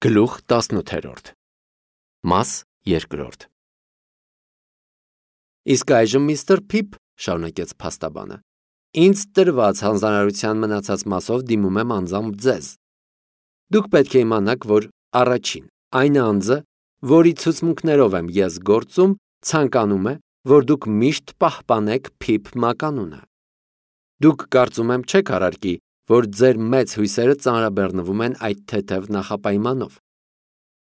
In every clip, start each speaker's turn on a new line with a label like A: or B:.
A: Գլուխ 18 Մաս 2 Իսկ այժմ միստր Փիփ, շարունակեց փաստաբանը, ինձ տրված հանձնարարության մնացած մասով դիմում եմ անձամբ ձեզ։ Դուք պետք է իմանաք, որ առաջին, այն անձը, որի ցուցմունքներով եմ ես գործում, ցանկանում է, որ դուք միշտ պահպանեք Փիփ մականունը։ Դուք կարծում եմ չեք առարկի, որ ձեր մեծ հույսերը ծանրաբեռնվում են այդ թեթև նախապայմանով։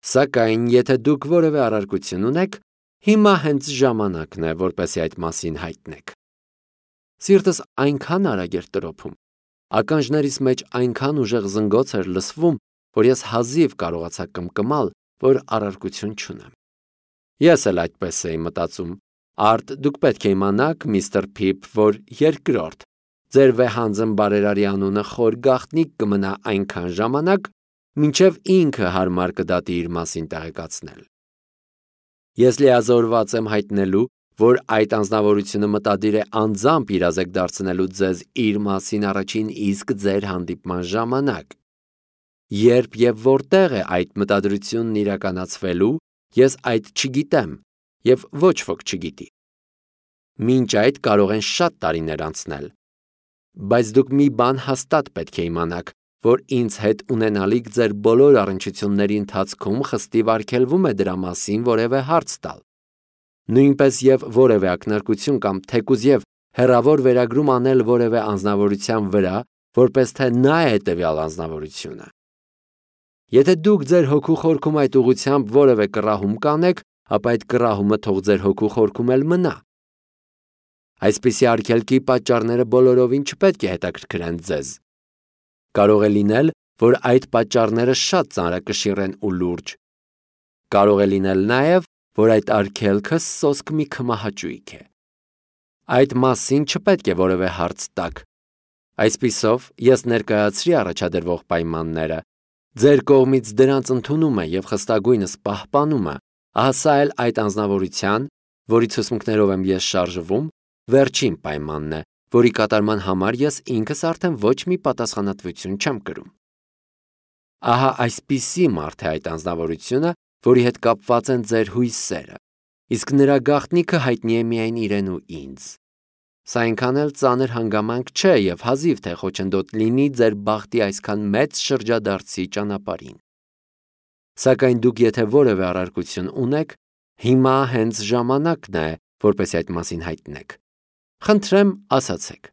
A: Սակայն, եթե դուք որևէ առարկություն ունեք, հիմա հենց ժամանակն է, որպեսզի այդ մասին հայտնեք։ Սիրտս այնքան արագ էր տրոփում, ականջներիս մեջ այնքան ուժեղ զնգոց էր լսվում, որ ես հազիվ կարողացա կմկմալ, որ առարկություն չունեմ։ Ես էլ այդպես էի մտածում։ Արդ դուք պետք է իմանաք, միստր Փիփ, որ երկրորդ ձեր վեհանձն բարերարի անունը խոր գաղտնիք կմնա այնքան ժամանակ, մինչև ինքը հարմար կդատի իր մասին տեղեկացնել։ Ես լիազորված եմ հայտնելու, որ այդ անձնավորությունը մտադիր է անձամբ իրազեկ դարձնելու ձեզ իր մասին առաջին իսկ ձեր հանդիպման ժամանակ։ Երբ եւ որտեղ է այդ մտադրությունն իրականացվելու, ես այդ չգիտեմ եւ ոչ ոք չգիտի։ Մինչ այդ կարող են շատ տարիներ անցնել։ Բայց դուք մի բան հաստատ պետք է իմանաք, որ ինձ հետ ունենալիք ձեր բոլոր առնչությունների ընթացքում խստիվ արգելվում է դրա մասին որևէ հարց տալ։ Նույնպես եւ որևէ ակնարկություն կամ թեկուզ եւ հեռավոր վերագրում անել որևէ անձնավորության վրա, որպես թե նա է հետեւյալ անձնավորությունը։ Եթե դուք ձեր հոգու խորքում այդ ուղղությամբ որևէ կռահում կանեք, ապա այդ կռահումը թող ձեր հոգու խորքում էլ մնա։ Այսպիսի արգելքի պատճառները բոլորովին չպետք է հետաքրքրեն ձեզ։ Կարող է լինել, որ այդ պատճառները շատ ծանրակշիռ են ու լուրջ։ Կարող է լինել նաև, որ այդ արգելքը սոսկ մի քմահաճույք է։ Այդ մասին չպետք է որևէ հարց տաք։ Այսպիսով, ես ներկայացրի առաջադրվող պայմանները, ձեր կողմից դրանց ընդունումը եւ խստագույնս պահպանումը, ահա էլ այդ անձնավորության, որի ցուցմունքներով եմ ես շարժվում, վերջին պայմանն է, որի կատարման համար ես ինքս արդեն ոչ մի պատասխանատվություն չեմ կրում։ Ահա այսպիսի մարդ է այդ անձնավորությունը, որի հետ կապված են ձեր հույսերը, իսկ նրա գաղտնիքը հայտնի է միայն իրեն ու ինձ։ Սա այնքան էլ ծանր հանգամանք չէ եւ հազիվ թե խոչընդոտ լինի ձեր բախտի այսքան մեծ շրջադարձի ճանապարհին։ Սակայն դուք եթե որևէ առարկություն ունեք, հիմա հենց ժամանակն է, որպեսզի այդ մասին հայտնեք։ Խնդրեմ, ասացեք։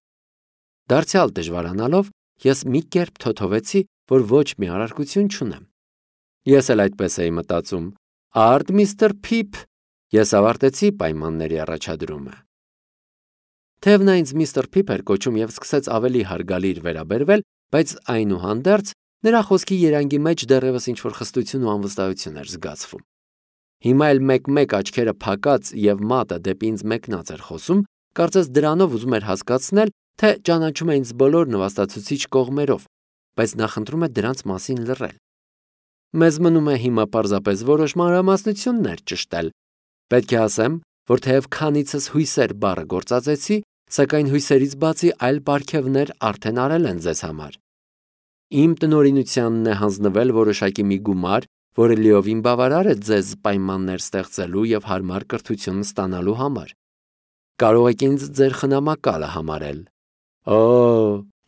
A: Դարձյալ դժվարանալով, ես մի կերպ թոթովեցի, որ ոչ մի առարկություն չունեմ։ Ես էլ այդպես էի մտածում։ Արդ միստր Փիփ, ես ավարտեցի պայմանների առաջադրումը։ Թեև նա ինձ միստր Փիփ էր կոչում եւ սկսեց ավելի հարգալի վերաբերվել, բայց այնուհանդերձ նրա խոսքի երանգի մեջ դեռևս ինչ-որ խստություն ու անվստահություն էր զգացվում։ Հիմա էլ մեկ-մեկ աչքերը փակած եւ մատը դեպի ինձ մեկնած էր խոսում, կարծես դրանով ուզում էր հասկացնել, թե ճանաչում է ինձ բոլոր նվաստացուցիչ կողմերով, բայց նախընտրում է դրանց մասին լռել։ Մեզ մնում է հիմա պարզապես որոշ մանրամասնություններ ճշտել։ Պետք է ասեմ, որ թեև քանիցս հույսեր բառը գործածեցի, սակայն հույսերից բացի այլ պարգևներ արդեն արել են ձեզ համար։ Իմ տնօրինությանն է հանձնվել որոշակի մի գումար, որը լիովին բավարար է ձեզ պայմաններ ստեղծելու եւ հարմար կրթություն ստանալու համար։ Կարող եք ինձ ձեր խնամակալը համարել։ Օ,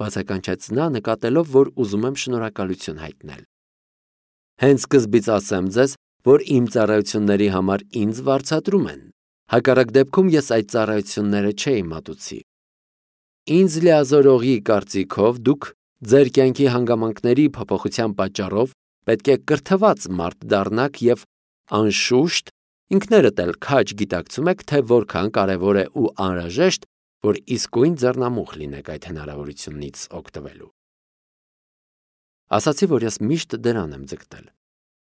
A: բացականչեց նա, նկատելով, որ ուզում եմ շնորհակալություն հայտնել։ Հենց սկզբից ասեմ ձեզ, որ իմ ծառայությունների համար ինձ վարձատրում են։ Հակառակ դեպքում ես այդ ծառայությունները չէի մատուցի։ Ինձ լիազորողի կարծիքով դուք ձեր կյանքի հանգամանքների փոփոխության պատճառով պետք է կրթված մարդ դառնաք եւ անշուշտ ինքներդ էլ քաջ գիտակցում եք, թե որքան կարևոր է ու անհրաժեշտ, որ իսկույն ձեռնամուխ լինեք այդ հնարավորությունից օգտվելու։ Ասացի, որ ես միշտ դրան եմ ձգտել։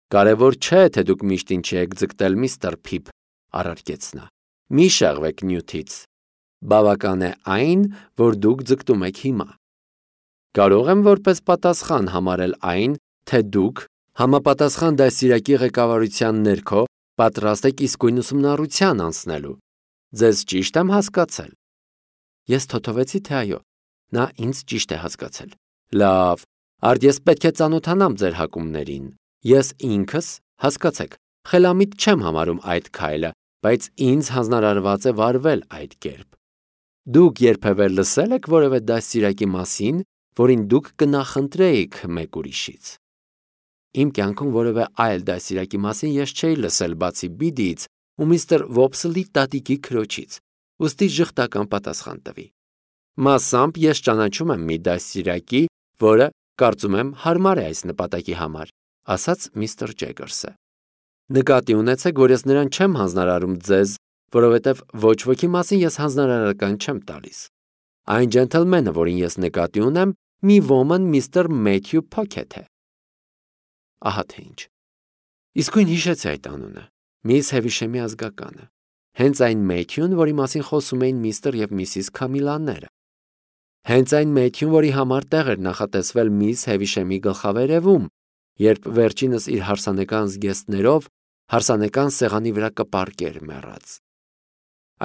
A: Կարևոր չէ, թե դուք միշտ ինչի եք ձգտել, միստր Փիփ, առարկեց նա։ Մի շեղվեք նյութից։ Բավական է այն, որ դուք ձգտում եք հիմա։ Կարող եմ որպես պատասխան համարել այն, թե դուք համապատասխան դասիրակի ղեկավարության ներքո պատրաստ եք իսկույն ուսումնառության անցնելու։ Ձեզ ճիշտ եմ հասկացել։ Ես թոթովեցի, թե այո, նա ինձ ճիշտ է հասկացել։ Լավ, արդ ես պետք է ծանոթանամ ձեր հակումներին։ Ես ինքս, հասկացեք, խելամիտ չեմ համարում այդ քայլը, բայց ինձ հանձնարարված է վարվել այդ կերպ։ Դուք երբևէ լսել եք որևէ դաստիարակի մասին, որին դուք կնախընտրեիք մեկ ուրիշից։ Իմ կյանքում որևէ այլ դաստիարակի մասին ես չէի լսել բացի Բիդիից ու միստր Վոփսլի տատիկի քրոջից, ուստի ժխտական պատասխան տվի։ Մասամբ ես ճանաչում եմ մի դաստիարակի, որը, կարծում եմ, հարմար է այս նպատակի համար, ասաց միստր Ջեգերսը։ Նկատի ունեցեք, որ ես նրան չեմ հանձնարարում ձեզ, որովհետև ոչ ոքի մասին ես հանձնարարական չեմ տալիս։ Այն ջենթլմենը, որին ես նկատի ունեմ, մի ոմն միստր Մեթյու Փոքեթ է։ Ահա թե ինչ։ Իսկույն հիշեցի այդ անունը, միս Հևիշեմի ազգականը, հենց այն Մեթյուն, որի մասին խոսում էին միստր եւ միսիս Քամիլաները։ Հենց այն Մեթյուն, որի համար տեղ էր նախատեսվել միս Հևիշեմի գլխավերևում, երբ վերջինս իր հարսանեկան զգեստներով հարսանեկան սեղանի վրա կպարկեր մեռած։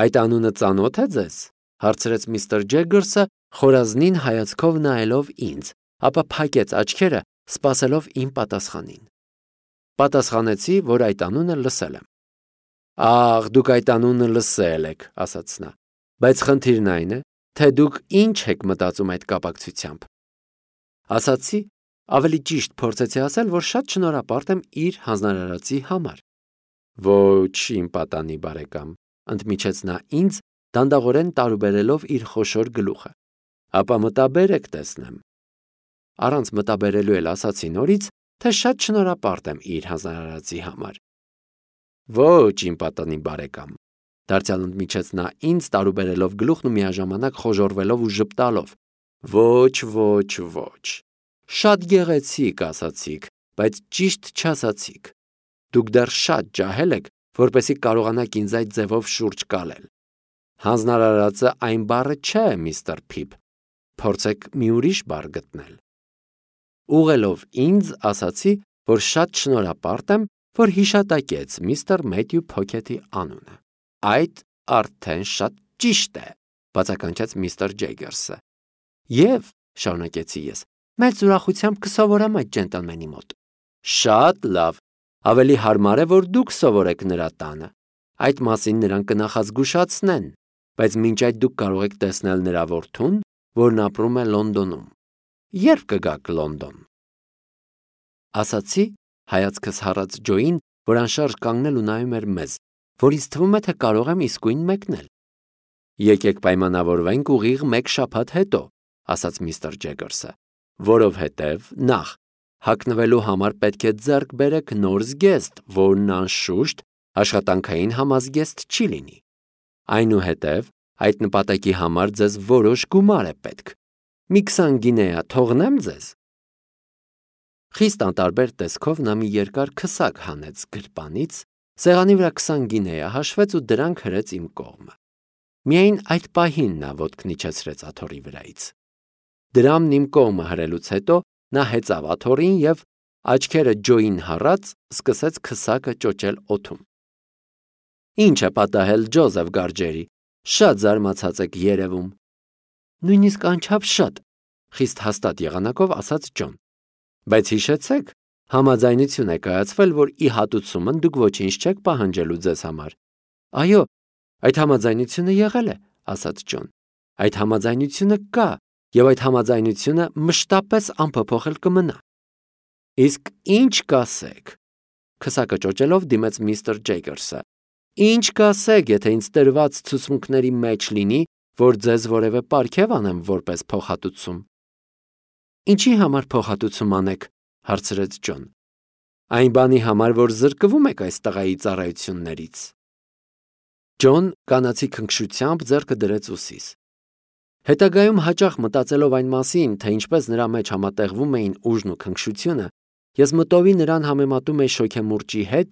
A: Այդ անունը ծանոթ է ձեզ, հարցրեց միստր Ջեգերսը, խորազնին հայացքով նայելով ինձ, ապա փակեց աչքերը, սպասելով իմ պատասխանին։ Պատասխանեցի, որ այդ անունը լսել եմ։ Ահ, դուք այդ անունը լսել եք, ասաց նա, բայց խնդիրն այն է, թե դուք ինչ եք մտածում այդ կապակցությամբ։ Ասացի, ավելի ճիշտ փորձեցի ասել, որ շատ շնորհապարտ եմ իր հանձնարարածի համար։ Ոչ, իմ պատանի բարեկամ, ընդմիջեց նա ինձ, դանդաղորեն տարուբերելով իր խոշոր գլուխը։ Ապա մտաբերեք տեսնեմ։ Առանց մտաբերելու էլ ասացի նորից, թե շատ շնորհապարտ եմ իր հանձնարարածի համար։ Ոչ, իմ պատանի բարեկամ, դարձյալ ընդմիջեց նա ինձ, տարուբերելով գլուխն ու միաժամանակ խոժոռվելով ու ժպտալով։ Ոչ։ Շատ գեղեցիկ ասացիք, բայց ճիշտ չասացիք։ Դուք դեռ շատ ջահել եք, որպեսզի կարողանաք ինձ այդ ձևով շուրջ կալել։ Հանձնարարածը այն բառը չէ, միստր Փիփ։ Փորձեք մի ուրիշ բառ գտնել։ Ուղղելով ինձ, ասացի, որ շատ շնորհապարտ եմ, որ հիշատակեց միստր Մեթյու Փոքեթի անունը։ Այդ արդեն շատ ճիշտ է, բացականչեց միստր Ջեգերսը։ Եվ, շարունակեցի ես, մեծ ուրախությամբ կսովորեմ այդ ջենտլմենի մոտ։ Շատ լավ, ավելի հարմար է, որ դուք սովորեք նրա տանը։ Այդ մասին նրան կնախազգուշացնեն, բայց մինչ այդ դուք կարող եք տեսնել նրա որդուն, որն ապրում է Լոնդոնում։ Երբ կգաք Լոնդոն։ Ասացի, հայացքս հառած Ջոյին, որ անշարժ կանգնել ու նայում էր մեզ, որ ինձ թվում է, թե կարող եմ իսկույն մեկնել։ Եկեք պայմանավորվենք ուղիղ 1 շաբաթ հետո, ասաց միստր Ջեգերսը, որովհետև նախ հագնվելու համար պետք է ձեռք բերեք նոր զգեստ, որն անշուշտ աշխատանքային համազգեստ չի լինի։ Այնուհետև այդ նպատակի համար ձեզ որոշ գումար է պետք։ Մի 20 գինեա թողնեմ ձեզ։ Խիստ անտարբեր տեսքով նա մի երկար քսակ հանեց գրպանից, սեղանի վրա 20 գինեա հաշվեց ու դրանք հրեց իմ կողմը։ Միայն այդ պահին նա ոտքն իջեցրեց աթոռի վրայից։ Դրամն իմ կողմը հրելուց հետո նա հեծավ աթոռին և աչքերը Ջոյին հառած սկսեց քսակը ճոճել օդում։ Ինչ է պատահել, Ջոզեֆ Գարջերի, շատ զարմացած եք երևում։ Նույնիսկ անչափ, խիստ հաստատ եղանակով ասաց Ջոն։ Բայց հիշեցեք, համաձայնություն է կայացվել, որ ի հատուցումն դուք ոչինչ չեք պահանջելու ձեզ համար։ Այո, այդ համաձայնությունը եղել է, ասաց Ջոն։ Այդ համաձայնությունը կա, և այդ համաձայնությունը մշտապես անփոփոխել կմնա։ Իսկ ինչ կասեք, քսակը ճոճելով դիմեց միստր Ջեգերսը։ Ինչ կասեք, եթե ինձ տրված ցուցմունքների մեջ լինի, որ ձեզ որևէ պարգև անեմ որպես փոխհատուցում։ Ինչի համար փոխհատուցում անեք, հարցրեց Ջոն։ Այն բանի համար, որ զրկվում եք այս տղայի ծառայություններից։ Ջոն կանացի քնքշությամբ ձեռքը դրեց ուսիս։ Հետագայում հաճախ մտածելով այն մասին, թե ինչպես նրա մեջ համատեղվում էին ուժն ու քնքշությունը, ես մտովի նրան համեմատում էի շոգեմուրճի հետ,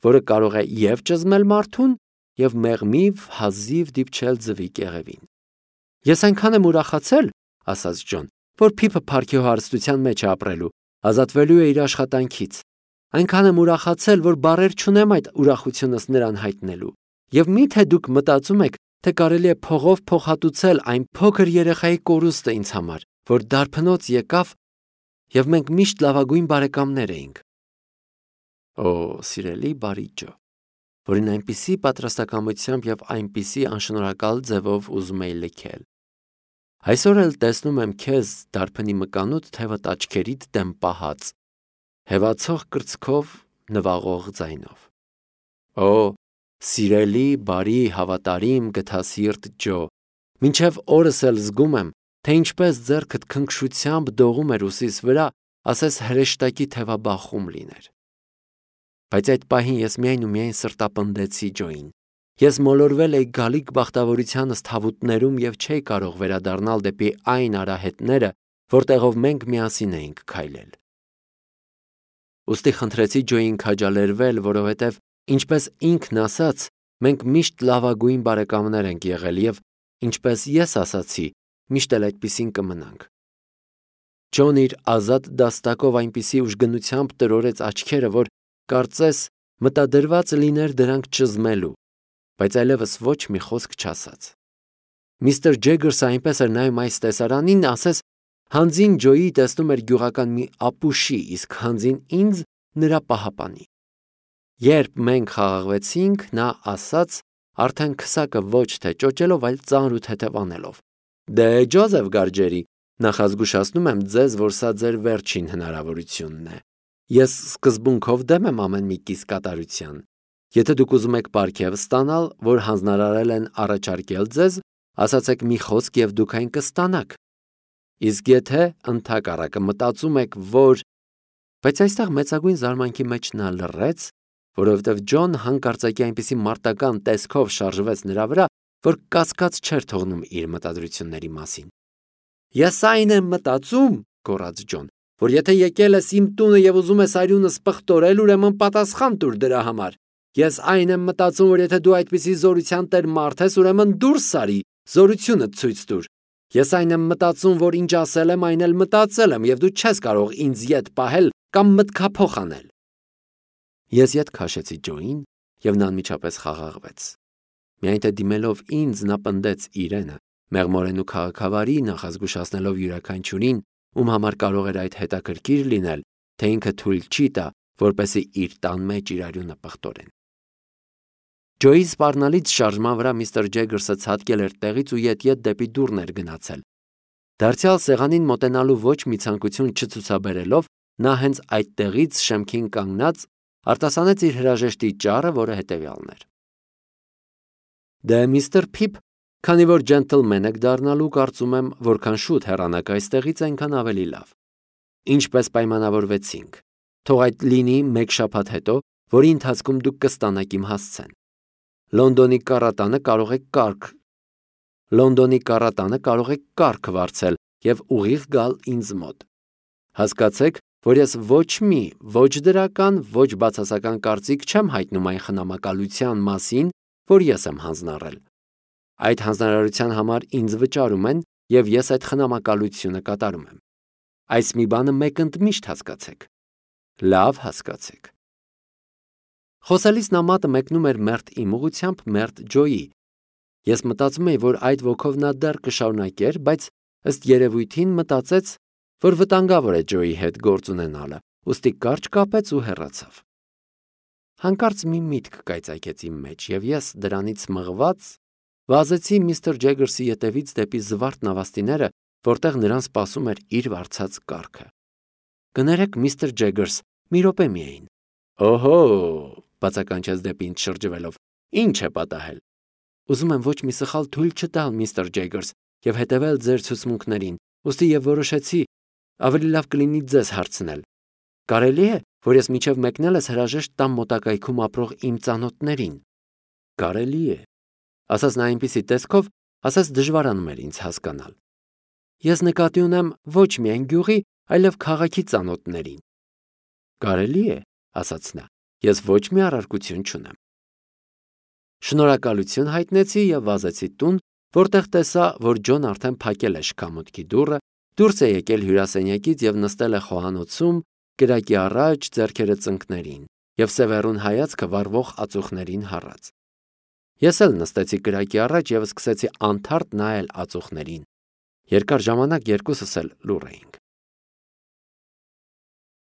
A: որը կարող է և ճզմել մարդուն, և մեղմիվ հազիվ դիպչել ձվի կեղևին։ Ես այնքան եմ ուրախացել, ասաց Ջոն, որ Փիփը փառքի հարստության մեջ է ապրելու, ազատվելու է իր աշխատանքից։ Այնքան եմ ուրախացել, որ բառեր չունեմ այդ ուրախությունս նրան հայտնելու։ Եվ մի՞թե դուք մտածում եք, թե կարելի է փողով փոխհատուցել այն փոքր երեխայի կորուստը ինձ համար, որ դարբնոց եկավ, և մենք միշտ լավագույն բարեկամներ էինք։ Օ, սիրելի բարի Ջո, որին այնպիսի պատրաստակամությամբ եւ այնպիսի անշնորհակալ ձևով ուզում էի լքել։ Այսօր էլ տեսնում եմ քեզ դարբնի մկանուտ թևդ աչքերիդ դեմ պահած, հևացող կրծքով, նվաղող ձայնով։ Օ, սիրելի, բարի, հավատարիմ, գթասիրտ Ջո, մինչև օրս էլ զգում եմ, թե ինչպես ձեռքդ քնքշությամբ դողում էր ուսիս վրա, ասես հրեշտակի թևաբախում լիներ։ Բայց այդ պահին ես միայն ու միայն սրտապնդեցի Ջոին։ Ես մոլորվել էի գալիք բախտավորությանս թավուտներում եւ չէի կարող վերադառնալ դեպի այն արահետները, որտեղով մենք միասին էինք քայլել։ Ոստի խնդրեցի Ջոյին քաջալերվել, որովհետև, ինչպես ինքն ասաց, մենք միշտ լավագույն բարեկամներ ենք եղել եւ, ինչպես ես ասացի, միշտ էլ այդպիսին կմնանք։ Ջոն իր ազատ դաստակով այնպիսի ուժգնությամբ տրորեց աչքերը, որ կարծես մտադրված լիներ դրանք ճզմելու, բայց այլևս ոչ մի խոսք չասաց։ Միստր Ջեգերսը այնպես էր նայում այս տեսարանին, ասես հանձին Ջոյի տեսնում էր գյուղական մի ապուշի, իսկ հանձին ինձ նրա պահապանի։ Երբ մենք խաղաղվեցինք, նա ասաց, արդեն քսակը ոչ թե ճոճելով, այլ ծանր ու թեթև անելով. Դե Ջոզեֆ Գարջերի, նախազգուշացնում եմ ձեզ, որ սա ձեր վերջին հնարավորությունն է։ Ես սկզբունքով դեմ եմ ամեն մի կիս կատարության։ Եթե դուք ուզում եք պարգև ստանալ, որ հանձնարարել են առաջարկել ձեզ, ասացեք մի խոսք եւ դուք այն կստանաք։ Իսկ եթե ընդհակառակը մտածում եք, որ… Բայց այստեղ մեծագույն զարմանքի մեջ նա լռեց, որովհետև Ջոն հանկարծակի այնպիսի մարտական տեսքով շարժվեց նրա վրա, որ կասկած չէր թողնում իր մտադրությունների մասին։ Ես այն եմ մտածում, գոռաց Ջոն, որ եթե եկել ես իմ տունը եւ ուզում ես արյունս պղտորել, ուրեմն պատասխան տուր դրա համար։ Ես այն եմ մտածում, որ եթե դու այդպիսի զորության տեր մարդ ես, ուրեմն դուրս արի, զորությունը ցույց տուր։ Ես այն եմ մտածում, որ ինչ ասել եմ, այն էլ մտածել եմ, եւ դու չես կարող ինձ ետ պահել կամ մտքափոխ անել։ Ես ետ քաշեցի Ջոին, եւ նա անմիջապես խաղաղվեց։ Միայն թե դիմելով ինձ, նա պնդեց իրենը, մեղմորեն ու քաղաքավարի նախազգուշացնելով յուրաքանչյուրին, ում համար կարող էր այդ հետաքրքիր լինել, թե ինքը թույլ չի տա, որպեսզի իր տան մեջ իր արյունը պղտորեն։ Ջոյի սպառնալից շարժման վրա միստր Ջեգերսը ցատկել էր տեղից ու ետ-ետ դեպի դուռն էր գնացել։ Դարձյալ սեղանին մոտենալու ոչ մի ցանկություն չցուցաբերելով, նա հենց այդտեղից շեմքին կանգնած արտասանեց իր հրաժեշտի ճառը, որը հետևյալն էր. Դե միստր Փիփ, քանի որ ջենտլմեն եք դառնալու, կարծում եմ, որքան շուտ հեռանաք այստեղից, այնքան ավելի լավ։ Ինչպես պայմանավորվեցինք, թող այդ լինի մեկ շաբաթ հետո, որի ընթացքում դուք կստանաք իմ հասցեն։ Լոնդոնի կառատանը կարող եք կարգ վարձել եւ ուղիղ գալ ինձ մոտ։ Հասկացեք, որ ես ոչ մի, ոչ դրական, ոչ բացասական կարծիք չեմ հայտնում այն խնամակալության մասին, որ ես եմ հանձնառել։ Այդ հանձնարարության համար ինձ վճարում են եւ ես այդ խնամակալությունը կատարում եմ։ Այս մի բանը մեկընդմիշտ հասկացեք։ Լավ հասկացեք։ Խոսելիս նա մատը մեկնում էր մերթ իմ ուղությամբ մերթ Ջոյի։ Ես մտածում էի, որ այդ ոգով նա դեռ կշարունակեր, բայց ըստ երևույթին մտածեց, որ վտանգավոր է Ջոյի հետ գործ ունենալը, ուստի կարճ կապեց ու հեռացավ։ Հանկարծ մի միտք կայծակեց իմ մեջ, եւ ես դրանից մղված վազեցի միստր Ջեգերսի ետևից դեպի զվարթ նավաստիները, որտեղ նրան սպասում էր իր վարձած կառքը։ Կներեք, միստր Ջեգերս, մի րոպե միայն։ Օհո, բացականչեց դեպի ինձ շրջվելով։ Ինչ է պատահել։ Ուզում եմ ոչ մի սխալ թույլ չտալ, միստր Ջեգերս, եւ հետևել ձեր ցուցմունքներին, ուստի եւ որոշեցի, ավելի լավ կլինի ձեզ հարցնել։ Կարելի է, որ ես մինչև մեկնելս հրաժեշտ տամ մոտակայքում ապրող իմ ծանոթներին։ Կարելի է, ասաց նա այնպիսի տեսքով, ասաց դժվարանում էր ինձ հասկանալ։ Ես նկատի ունեմ ոչ միայն գյուղի, այլև քաղաքի ծանոթներին։ Կարելի է, ասաց նա, ես ոչ մի առարկություն չունեմ։ Շնորհակալություն հայտնեցի եւ վազեցի տուն, որտեղ տեսա, որ Ջոն արդեն փակել է շքամուտքի դուռը, դուրս է եկել հյուրասենյակից եւ նստել է խոհանոցում, կրակի առաջ, ձեռքերը ծնկներին եւ սևեռուն հայացքը վառվող ածուխներին հառած։ Ես էլ նստեցի կրակի առաջ եւ սկսեցի անթարթ նայել ածուխներին։ Երկար ժամանակ երկուսս էլ լուռ էինք։